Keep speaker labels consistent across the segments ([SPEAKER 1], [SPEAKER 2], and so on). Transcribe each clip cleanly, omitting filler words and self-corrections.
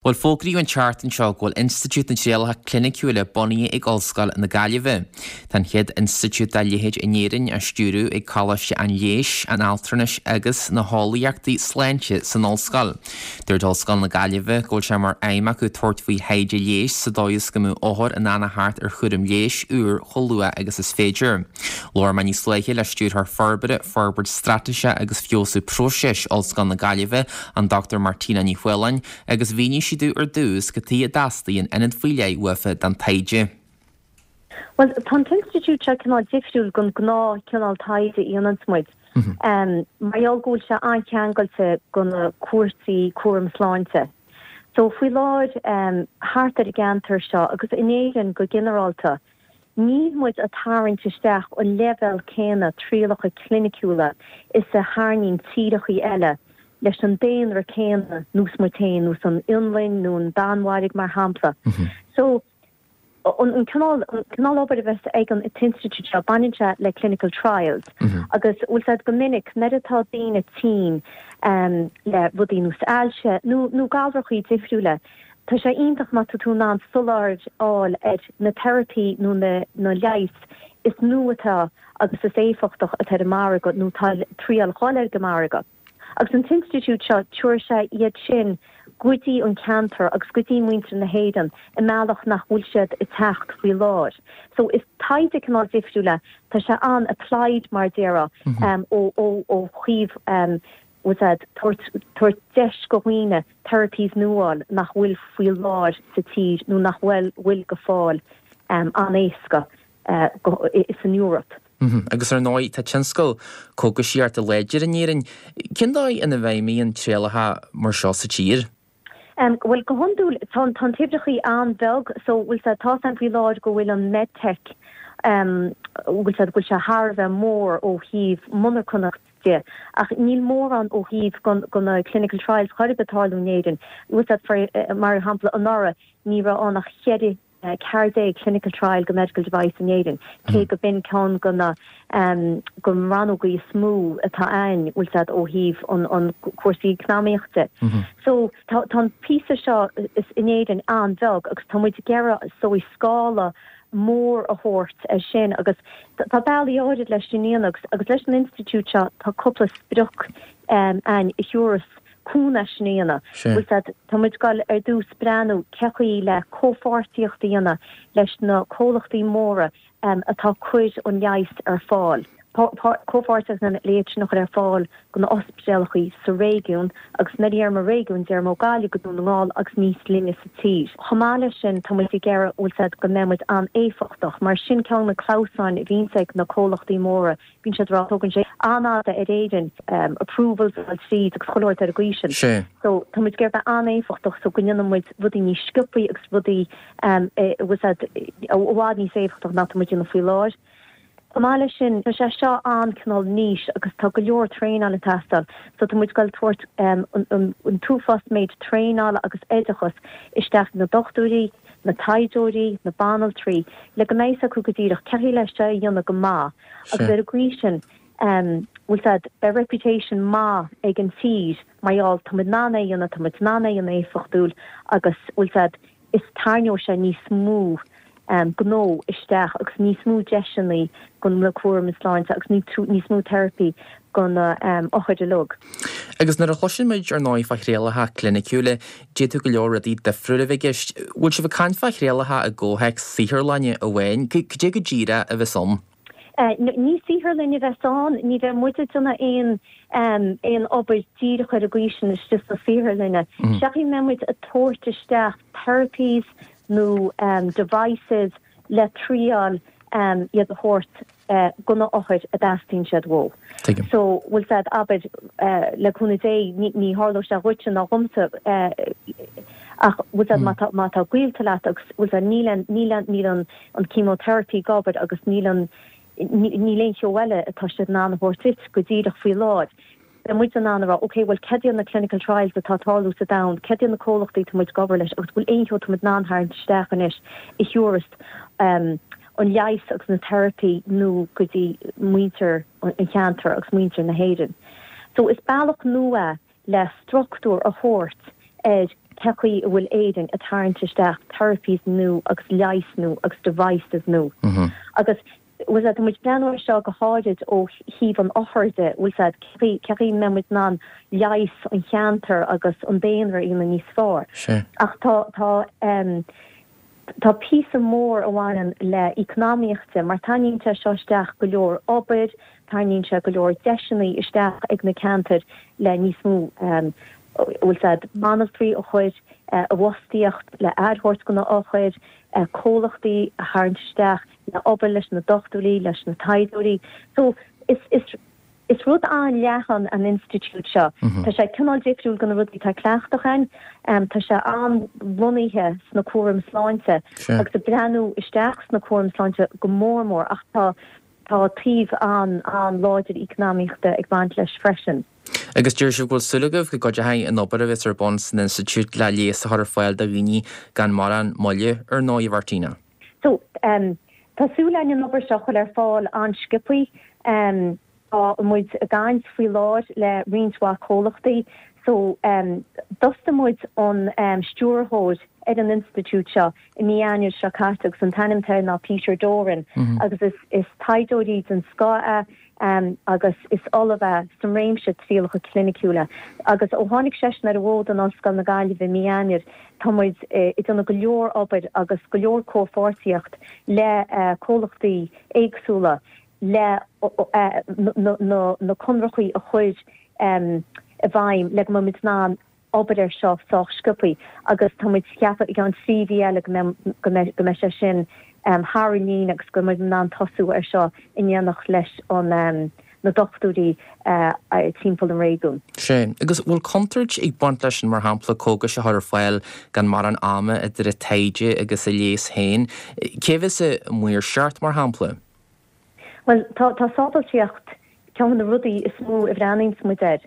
[SPEAKER 1] Bhuel, fógraíodh an tseachtain seo go bhfuil Institiúid na dTrialacha Cliniciúla bunaithe ag Ollscoil na Gaillimhe. Tá an chéad institiúid dá leithéid in Éirinn á stiúradh ag Coláiste an Leighis, an Altranais agus na hEolaíochtaí Sláinte san Ollscoil. Dúirt Ollscoil na Gaillimhe go bhfuil sé mar aidhm acu tabhairt faoi thaighde leighis sa dóigh is go mbeadh othair in ann a theacht ar chúram leighis úr chomh luath agus is féidir. Labhair mé níos luaithe le Stiúrthóir Forbartha, Forbairt Straitéise agus Feabhsú Próiseas Ollscoil na Gaillimhe, an Dr Martina Ní Fhaoláin, agus mhínigh sí domh ar dtús cad chuige a dteastaíonn ionad faoi leith uafa don taighde.
[SPEAKER 2] Bhuel, tá an t-institiúid seo cineál difriúil den gnáth-chineál taighde a dhéananns muid, mar gheall go bhfuil sé an-cheangailte go na cúrsaí cúram sláinte. So, faoi láthair, thart ar an gceantar seo, agus in Éirinn go ginearálta, Níl muid ag tarraingt isteach an leibhéal céanna trialacha cliniciúla is a tharraingíonn tíreachaí eile leis an daonra céanna nós muid féin, nós an Fhionlainn nó an Danmhairg mar shampla. So, an cineál, an cineál obair a bheas ag an t-institiúid seo, baineann sé le clinical trials agus bhfuil 's a'd go minic nuair atá daoine tinn le rudaí nós ailse nó nó galrachaí difriúla, Tá sé iontach má tá tú in ann soláthar a fháil ar na teiripí nó na leighis is nua atá agus is éifeachtach atá ar an margadh nó atá ag triail dhul ar an margadh. Agus an t-institiúid seo, tabharfaidh sé iad sin go dtí an ceantar agus go dtí muintir na hÉireann i mbealach nach bhfuil siad ag teacht faoi láthair. So is taighde cineál difriúil é. Tá sé an-applied mar a déarfá ó thaobh bhfuil 's a'd, tabhairt deis go dhaoine therapies nua a fháil nach bhfuil faoi láthair sa tír nó nach bhfuil bhfuil go fáil an-éasca san Eoraip.
[SPEAKER 1] Agus ar ndóigh tá tionscal cógaisíochta láidir in Éirinn. Cén dóigh ina bhfeidhmíonn trialacha mar seo sa tír?
[SPEAKER 2] Bhuel, go hiondúil, tá an t-uimhreachaí an-bheag, so bhfuil 's a'd, tá 's a'm faoi láthair go bhfuil an MedTech, bhfuil 's a'd, go bhfuil sé thar a bheith mór ó thaobh monarchanacht de, ach níl mórán ó thaobh go na clinical trials chor ar bith ag tarlú in Éirinn. Bhfuil 's a'd, mar shampla, anuraidh ní raibh ann ach cheithre 14 clinical trial go medical device in Éirinn, cé go b'in ceann go na go rannógaí is mó atá ann, bhfuil 's a'd, ó thaobh an an cúrsaí eacnamaíochta. So tá tá an píosa seo in Éirinn an-bheag agus tá muid ag iarraidh is dóigh scála mór a thabhairt air sin agus tá bealaí áirid leis sin a dhéanamh agus agus leis an institiúid seo tá cúpla sprioc ann a thabharfas cúnamh sin a dhéanamh. Bhfuil 's a'd, tá muid ag dul ar dtús breathnú cé chaoi le comhpháirtíocht a dhéanamh leis na comhlachtaí móra atá ag cur an leighis ar fáil. Comhpháirtíocht le iad sin a chur ar fáil go na ospidéalachaí sa réigiún agus nuair a deirim an réigiún deirim ó Gaillimh go Dún na nGall agus níos leithne sa tír. Chomh maith leis sin tá muid ag iarraidh, bhfuil 's a'd, go mbeidh muid an-éifeachtach mar sin ceann de na clamhsáin a bhíonns ag na comhlachtaí móra Bíonn siad ag rá tógann sé an-fhada ar Éirinn approvals a fháil tríd agus chuile shórt ar an gcaoi sin.
[SPEAKER 1] Sea.
[SPEAKER 2] So tá muid ag iarraidh bheith an-éifeachtach so go ndéanann muid rudaí níos sciobthaí agus rudaí bhfuil 's a'd i bhfad níos éifeachtach ná tá muid ag déanamh faoi láthair. Chomh maith leis sin, tá sé seo an-cineál niche agus tá go leor traenáil ag teastáil so tá muid ag dul tabhairt an t-uafás méid traenála agus oideachas isteach na dochtúirí, na taighdeoirí, na banaltraí, le go mbeidh 's acu go díreach cé chaoi le seo a dhéanamh go maith agus ar an gcaoi sin, bhfuil 's a'd, beidh reputation maith ag an tír mar gheall tá muid in ann é a dhéanamh, tá muid in ann é a dhéanamh éifeachtúil agus, bhfuil 's a'd, is tarraingeoidh sé níos mó gnó isteach agus níos mó deiseanna go na cúram sláinte agus níos mó teiripí go na othair uilig.
[SPEAKER 1] Agus nuair a chloiseann muid ar ndóigh fá thrialacha cliniciúla, d'fhéadfadh go leor rudaí difriúla a bheith i gceist. Bhfuil sibh ag caint fá thrialacha i gcomhthéacs saotharlainne amháin? Cad é go díreach a bheas ann?
[SPEAKER 2] Ní saotharlann a bheas ann, ní bheidh muid ag déanamh aon aon obair díreach ar an gcaoi sin istigh sna saotharlanna. Seachas go mbeidh muid ag tabhairt isteach therapies nó devices le triáil iad a thabhairt go na othair a dteastaíonn siad uathu.
[SPEAKER 1] Tuigim.
[SPEAKER 2] So, bhfuil 's a'd, abair, le cúnamh Dé, ní tharlóidh sé dhuitse ná dhomsa ach, bhfuil 's a'd, má tá, má tá gaolta leat agus, bhfuil 's a'd, níl an, níl an, níl an, an chemotherapy ag obair agus níl an, níl aon cheo eile atá siad in ann a thabhairt duit go díreach faoi láthair. Beidh muid in ann a rá, ok, bhuel, cad iad na clinical trials atá ag tarlú sa domhan, cad iad na comhlachtaí atá muid ag obair leis agus bhfuil aon cheo atá muid in ann tharraingt isteach anois a thabharfas an leigheas agus na teiripí nua go dtí muintir an cheantair agus muintir na hÉireann. So is bealach nua é le struchtúr a thabhairt ar. cé chaoi a bhfuil Éirinn ag tarraingt isteach therapies nua agus leighis nua agus devices nua. Agus bhfuil a fhios a'd, tá muid ag breathnú air seo go háirid ó thaobh an othair de, bhfuil a fhios a'd, cé chaoi a mbeidh muid in ann leigheas an cheantair agus an daonra a dhéanamh níos fearr. Ach tá, tá, tá píosa mór a bhaineann le eacnamaíocht de mar tarraingíonn sé seo isteach go leor obair, tarraingíonn sé go leor deiseanna isteach ag na ceantair le níos mó, bhfuil a fhios a'd, banaltraí a chur i bhfostaíocht, le aire a thabhairt do na othair, comhlachtaí a tharraingt isteach le obair leis na dochtúirí, leis na taighdeoirí. So, is, is, is rud an-leathan an institiúid seo. Tá sé cineál difriúil go na rudaí atá cleachtach againn. Tá sé an-lonnaithe sna cúraim sláinte agus ag breathnú isteach sna cúraim sláinte go mór mór ach tá, tá taobh an, an-láidir eacnamaíochta ag baint leis freisin.
[SPEAKER 1] Agus deir sibh go bhfuil súil agaibh go gcuideoidh an obair a bheas ar bun san institiúid le leigheas a chur ar fáil do dhaoine gan mórán moille, ar ndóigh, a Mhartina.
[SPEAKER 2] So, tá súil againn an obair seo a chur ar fáil an-sciobthaí. Tá muid ag caint faoi láthair le roinnt mhaith comhlachtaí. So, d'fhostaigh muid an stiúrthóir ar an institiúid seo i mí Eanáir seo caite agus an t-ainm atá air ná Peter Doran agus is taighdeoir den scoth é. agus is ollamh é sa réimse trialacha cliniciúla. Agus ó tháinig seisean ar an bhfód in Ollscoil na Gaillimhe i mí Eanáir, tá muid ag déanamh go leor obair agus go leor comhpháirtíocht le comhlachtaí éagsúla le na conarthaí a chur i bhfeidhm le go mbeidh muid in ann obair air seo sách sciobthaí agus tá muid ag ceapadh i gceann 3 mhí eile go mbeidh, go mbeidh, go mbeidh sé sin thar an líne agus go mbeidh muid in ann tosú air seo in éineacht leis an, na dochtúirí timpeall an réigiúin.
[SPEAKER 1] Sea. Agus bhfuil contúirt ag baint leis sin, mar shampla, cógais a chur ar fáil gan mórán ama idir an taighde agus an leigheas féin? Cé a bheas ag maoirseacht, mar shampla?
[SPEAKER 2] Bhuel, tá, tá sábháilteacht ceann de na rudaí is mó a bhreathnaíonns muid air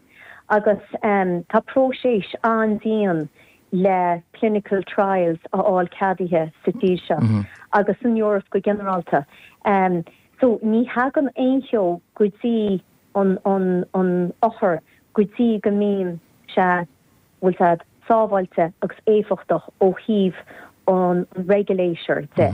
[SPEAKER 2] agus tá próiseas an-dian le clinical trials a fháil ceadaithe sa tír seo agus san Eoraip go ginearálta. So ní thagann aon cheo go dtí an, an, an othar go dtí go mbíonn sé, bhfuil a fhios a'd, sábháilte agus éifeachtach ó thaobh an regulator de.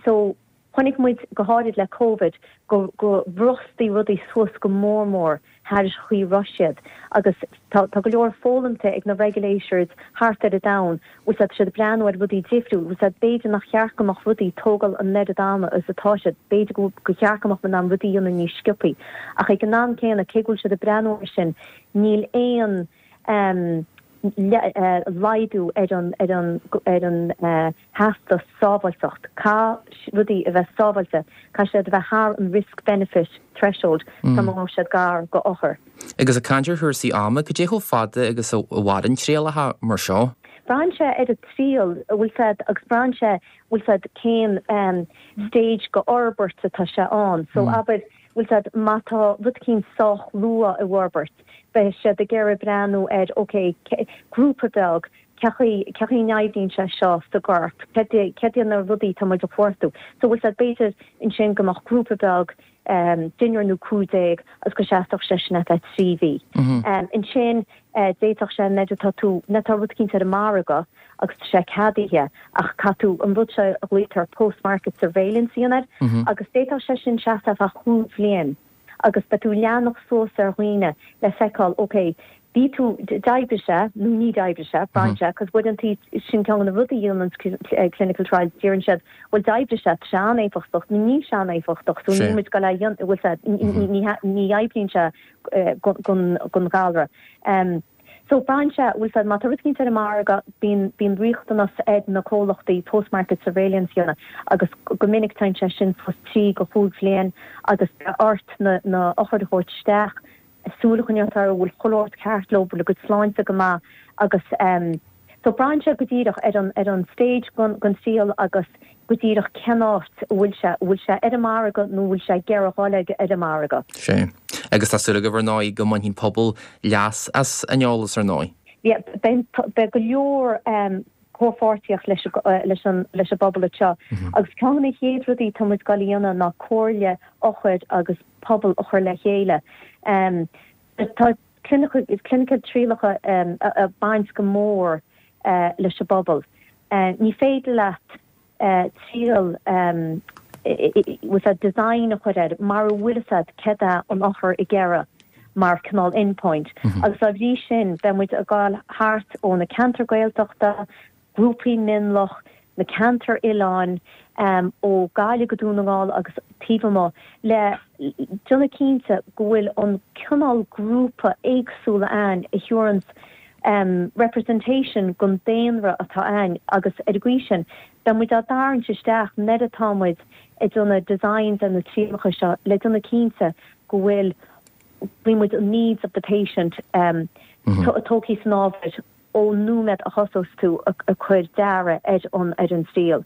[SPEAKER 2] So. Chonaic muid, go háirid le Covid, go go mbrostaigh rudaí suas go mór mór thar an chaoi a raibh siad agus tá tá go leor foghlamtha ag na regulators thart ar an domhan, bhfuil a fhios a'd, tá siad ag breathnú ar rudaí difriúil, bhfuil a fhios a'd, b'fhéidir nach cheart go mbeadh rudaí ag tógáil an oiread ama is atá siad, b'fhéidir go go cheart go mbeadh muid in ann rudaí a dhéanamh níos sciobthaí. Ach ag an am céanna, cé go bhfuil siad ag breathnú air sin, níl aon laghdú ar an ar an ar an theastas sábháilteacht. Caithfidh rudaí a bheith sábháilte, caithfidh siad a bheith thar an risk benefit threshold sula ngabhfaidh siad gar go othair.
[SPEAKER 1] Agus ag caint ar chúrsaí ama, cad é chomh fada agus a mhaireann trialacha mar seo?
[SPEAKER 2] Braitheann sé ar an triail, bhfuil a fhios a'd, agus braitheann sé, bhfuil a fhios a'd, cén stage go fhorbairt atá sé ann. So abair, bhfuil a fhios a'd, má tá rud eicínt sách luath i bhforbairt, beidh siad ag iarraidh breathnú ar, ok, grúpa beag, cé chaoi, cé chaoi a n-oibríonn sé seo sa gcorp, céard é, céard iad na rudaí atá muid a chuartú. So bhfuil a fhios a'd, b'fhéidir ansin go mbeadh grúpa beag, deichniúr nó 15 agus go seasfadh sé sin ar feadh 3 mhí. Ansin d'fhéadfadh sé nuair atá tú, nuair atá rud eicínt ar an margadh agus tá sé ceadaithe ach caithfidh tú an rud seo a ghlaoitear post-market surveillance a dhéanamh air agus d'fhéadfadh sé sin seasamh ar feadh chúig bhliain agus beidh tú ag leanacht suas ar dhaoine le feiceáil ok bhí tú, d'oibrigh sé nó ní d'oibrigh sé, braitheann sé, cos uaireanta sin ceann de na rudaí a dhéanann clinical trials, deireann siad bhuel d'oibrigh sé, tá sé an-éifeachtach nó níl sé an-éifeachtach so níl muid ag dul é a dhéanamh, bhfuil a fhios a'd, ní oibríonn sé don ghalra. So braitheann sé, bhfuil a fhios a'd, má tá rud eicínt ar an margadh, bíonn, bíonn riachtanas ar na comhlachtaí post-market surveillance a dhéanamh agus go minic téann sé sin suas 3 go 5 bhliain agus beidh ort na, na othair a thabhairt isteach, súil a choinneáil orthu, an bhfuil chuile shórt ceart leo, bhfuil a gcuid sláinte go maith agus so braitheann sé go díreach ar an, ar an stage den, den triail agus go díreach cén áit a bhfuil sé, an bhfuil sé ar an margadh nó an bhfuil sé ag iarraidh dhul ar an margadh.
[SPEAKER 1] Sea. Agus tá súil agaibh ar ndóigh go mbainfidh an pobal leas as an eolas ar ndóigh.
[SPEAKER 2] Yeah, beidh, beidh go leor comhpháirtíocht leis, leis an, leis an bpobal anseo agus ceann de na chéad rudaí atá muid ag dul a dhéanamh ná comhairle othair agus pobal a chur le chéile. Tá clinical trialacha ag baint go mór. leis an bpobal. Ní féidir leat triail bhfuil a fhios agat design a chur air mara bhfuil a fhios agat céard é an othar ag iarraidh mar cineál endpoint. Agus dá bhrí sin beidh muid ag gabháil thart ó na ceantair Gaeltachta, grúpaí mionlach, na ceantair oileáin, ó Gaillimh go Dún na nGall agus taobh amuigh, le déanamh cinnte go bhfuil an cineál grúpa éagsúla ann a thabharanns representation don daonra atá ann agus ar an gcaoi sin beidh muid á dtarraingt isteach nuair atá muid ag déanamh designs ar na trialacha seo le déanamh cinnte go bhfuil bhfuil muid an needs of the patient tógtha san ábhar ón nóiméad a thosós tú ag cur dearadh ar an ar an triail.